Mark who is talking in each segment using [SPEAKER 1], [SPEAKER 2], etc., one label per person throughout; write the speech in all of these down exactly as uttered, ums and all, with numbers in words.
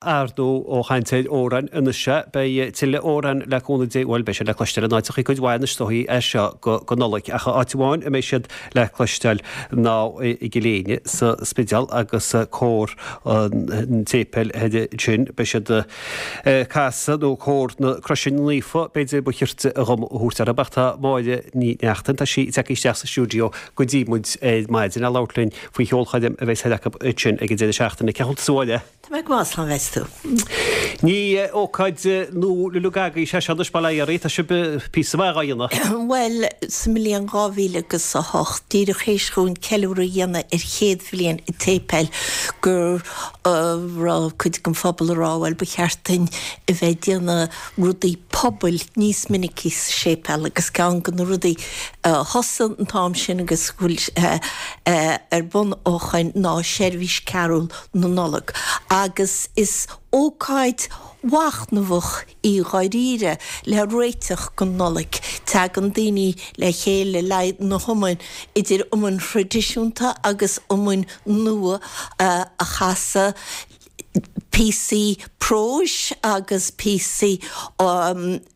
[SPEAKER 1] Ar ndóigh ó chaint ar amhráin anois sea, beidh tuilleadh amhrán le cúnamh Dé, bhuel beidh siad le cloisteáil in áiteachaí cuid mhaith anois is dóichí as seo go go Nollaig ach áit amháin a mbeidh siad le cloisteáil ná i gCill Éinne sa Spidéal agus cór an tséipéil ansin beidh siad ag casadh nó cór na Croise Naofa b'fhéidir ba chirte dhom a thabhairt orthu ach tá Máire Ní Neachtain tá sí tagtha isteach sa stiúideo go dtí muid ar maidin le labhairt linn faoi cheolchoirm a bheidh acu ansin ag an deireadh seachtaine. Cén chaoi a bhfuil tú a Mháire?
[SPEAKER 2] Tá mé go maith, slán bheas tú.
[SPEAKER 1] Ní ócáid nua uilig agaibh sé seo anois bail ó Dhia oraibh, tá sibh píosa maith dhá dhéanamh.
[SPEAKER 2] Bhuel, sa mbliain dhá mhíle agus a hocht, díreach théis dhúinn ceiliúradh a dhéanamh ar chéad bhliain an tséipéil, go raibh cuid den phobal ag rá, bhuel, ba cheart duinn a bheith ag déanamh rudaí pobail níos minicí sa séipéal agus ceann de na rudaí a thosaigh an t-am sin agus go bhfuil ar bun ó shoin ná seirbhís cearúl na Nollag agus is ócáid mhachnamhach í dháiríre le réiteach don Nollaig. Tagann daoine le chéile le na hiomainn, idir iomainn thraidisiúnta agus iomainn nua a chasadh, píosaí próis agus píosaí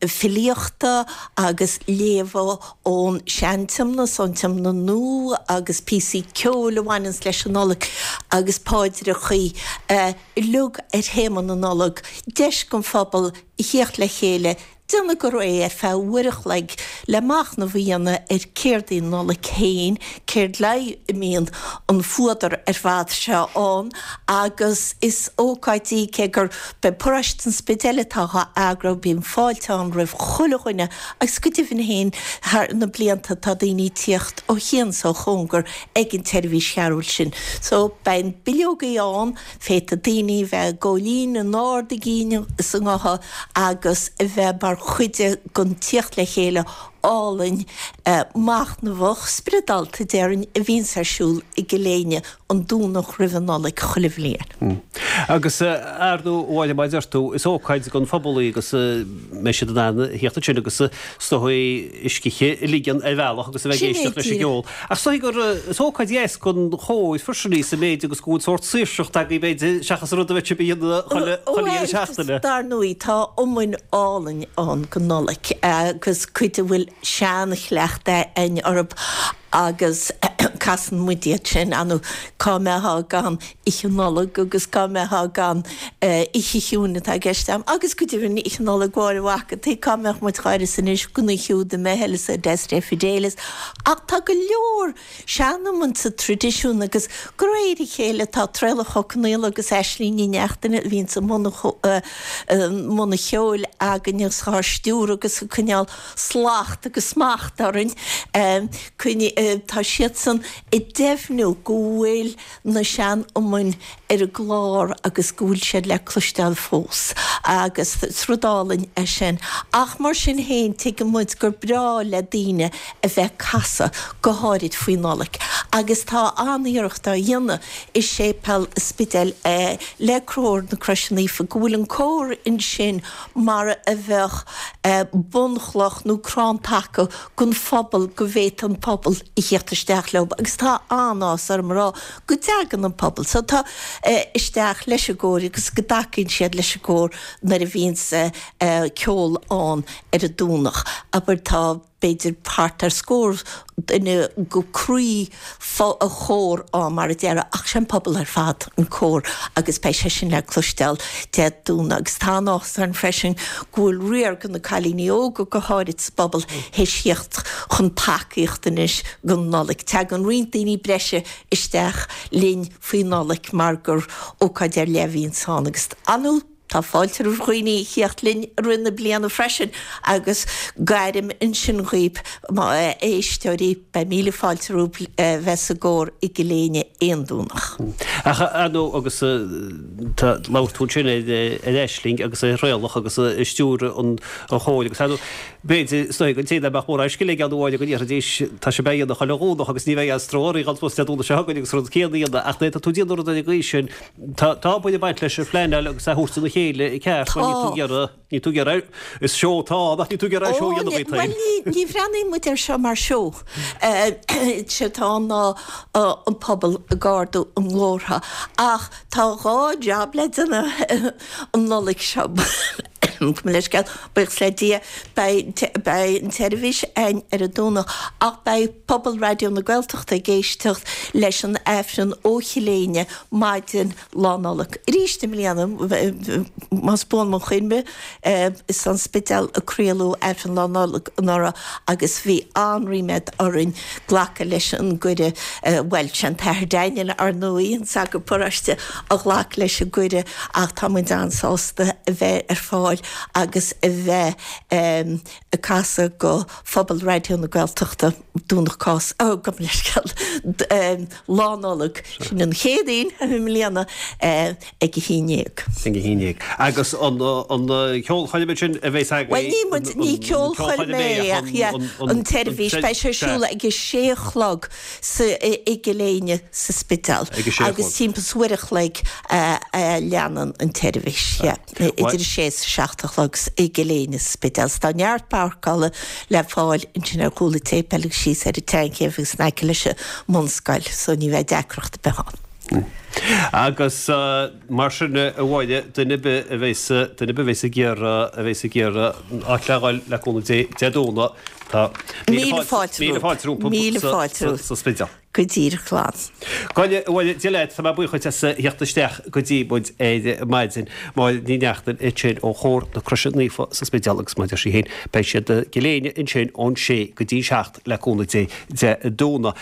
[SPEAKER 2] filíochta agus léamha ón Sean-Tiomna 's ón Tiomna Nua agus píosaí ceoil a bhaineanns leis an Nollaig agus paidreachaí uilig ar théama na Nollag, deis don phobal a thíocht le chéile déanamh go réidh ar feadh uair a chloig le machnamh a dhéanamh ar céard í an Nollaig féin, céard le haghaidh a mbíonn an fuadar ar fad seo ann agus is ócáid í cé gur b'é paróiste an Spidéil atá á eagrú, bíonn fáilte ann roimh chuile dhuine agus go deimhin féin thar na blianta tá daoine ag tíocht ó chian 's ó chóngar ag an tseirbhís chearúil sin. So beidh na bileogaí ann, féadfaidh daoine bheith ag gabháil fhoinn in ard a gcinn is a ngutha agus a bheith mar chuid den tíocht le chéile álainn machnamhach, spioradálta déarfainn, a bhíonns ar siúl i gCill Éinne an Domhnach roimh an Nollaig chuile bhliain.
[SPEAKER 1] Agus ar ndóigh, a Mháire, mar a deir tú, is ócáid don phobal í agus mbeidh siad in ann a thíocht ansin agus is dóigh a scíth a ligean ar bhealach agus a bheith ag éisteacht leis an gceol. Ach is dóigh gur is ócáid dheas don chór freisin í sa méid agus go bhfuil sórt saoirseacht agaibh b'fhéidir seachas an rud a bheadh sibh a dhéanamh chuile chuile dheireadh seachtaine.
[SPEAKER 2] Dar ndóigh tá iomainn álainn ann don Nollaig agus cuid a bhfuil sean-chleachtadh againn orthu agus casann muid iad sin, ar ndóigh cá mbeifeá gan Oíche Nollag agus cá mbeifeá gan Oíche Chiúin atá i gceist agam agus go deimhin Oíche Nollag Mháire Mhac an tSaoi, cá mbeadh muid dhá uireasa anois gan í siúd i mBeithil is Adeste Fideles ach tá go leor sean-iomann sa traidisiún agus de réir a chéile tá Traolach Ó Conaola agus Aisling Ní Neachtain a bhíonns i mbun an cheoil againn agus dhá stiúradh agus ag coinneáil slacht agus smacht orainn. Tá siadsan ag deimhniú go bhfuil na sean-iomainn ar an gclár agus go bhfuil siad le cloisteáil fós agus is rud álainn é sin. Ach mar sin féin tuigeann muid gur breá le daoine a bheith ag casadh, go háirid faoi Nollaig. Agus tá an-iarracht á dhéanamh i Séipéal an Spidéil le Cór na Croise Naofa go bhfuil an cór ansin mar a bheadh bunchloch nó crann taca don phobal go bhféadfadh an pobal a thíocht isteach leo agus tá an-áthas orm a rá go dtagann an pobal so tá isteach leis an gcór agus go dtacaíonn siad leis an gcór nuair a bhíonns ceol ann ar an Domhnach. Abair tá b'fhéidir thart ar scór duine go croí an chór ann mar a déarfá ach sé an pobal ar fad an cór agus beidh sé sin le cloisteáil Dé Domhnaigh agus tá an-áthas orainn freisin go bhfuil riar de na cailíní óga go háirid sa bpobal théis thíocht chun tacaíocht anois don Nollaig. Tagann roinnt daoine breise isteach linn faoi Nollaig mar gur ócáid ar leith a bhíonns ann agus ar ndóigh tá fáilte roimh dhaoine a thíocht linn i rith na bliana freisin agus gairim ansin dhaoib a éisteoirí, beidh míle fáilte romhaibh bheith sa gcór i gCill Éinne aon Domhnach.
[SPEAKER 1] Ach ar ndóigh agus tá labhair tú ansin ar Aisling agus ar Thraolach agus ag stiúradh an chóir agus ar ndóigh B'fhéidir is dóigh an té nach mbeadh mórán scil aige ann amháin go ndéarfaidís tá sé beidh ina chuile Dhomhnach agus ní bheidh aon stró orainn dhul suas Dé Domhnaigh seo chugainn agus rud céanna a dhéanamh ach nuair atá tú ag déanamh rud ar an gcaoi sin tá tá baint ag baint leis an phleanáil agus é a thabhairt ina chéile i gceart mar níl tú ag iarraidh níl tú ag iarraidh is seó atá ann ach níl tú ag iarraidh seó a dhéanamh duit
[SPEAKER 2] féin. Bhuel ní ní bhreathnaíonn muid air seo mar seó. Sé atá ann ná an pobal ag ardú a nglórtha ach tá dhá jab le déanamh an Nollaig seo. Gabh mo leithscéal, buíochas le Dia, beidh an tseirbhís againn ar an Domhnach ach beidh pobal Raidió na Gaeltachta ag éisteacht leis an Aifreann ó Chill Éinne maidin Lá Nollag. Arís i mbliana, más buan mo chuimhne, is ón Spidéal a craoladh Aifreann Lá Nollag anuraidh agus bhí an-ríméad orainn glacadh leis an gcuireadh, bhuel, sé an tAthair Daniel, ar ndóigh, an sagart paróiste, a ghlac leis an gcuireadh ach tá muid an-sásta a bheith ar fáil agus a bheith ag casadh go phobal Raidió na Gaeltachta Domhnach Cásca, oh, gabh mo leithscéal, Lá Nollag, sin an Chéadaoin i mbliana ag a haon
[SPEAKER 1] déag. Ag a haon déag. Agus an ceolchoirm sin a bheas
[SPEAKER 2] agaibh? Bhuel, ní muid, ní ceolchoirm é ach yeah, an tseirbhís, beidh sé ar siúl ag a sé a chlog sa, i gCill Éinne sa Spidéal agus timpeall is uair a chloig a leanann an tseirbhís, yeah. Idir a sé is a seacht a chlog i gCill Éinne sa Spidéal. Tá neart páirceála le fáil ansin ar chúl an tséipéil agus síos ar an tSeanchéibh agus in aice leis an mbunscoil so ní bheidh deacracht ar bith
[SPEAKER 1] ann. Agus mar sin a Mháire, duine ar bith a bheas, duine ar bith a bheas ag iarraidh, a bheas ag iarraidh áit le dhul le cúnamh Dé Dé Domhnaigh, tá
[SPEAKER 2] míle fáilte, míle fáilte rompu
[SPEAKER 1] míle fáilte sa Spidéal.
[SPEAKER 2] Go díreach glan.
[SPEAKER 1] Gabh mo leithscéal leat, tá mé buíoch dhuit as a theacht isteach go dtí muid ar maidin. Máire Ní Neachtain ansin ó Chór na Croise Naofa sa Spidéal agus mar a deir sí féin, beidh siad i gCill Éinne ansin ón sé go dtí seacht le cúnamh Dé Dé Domhnaigh.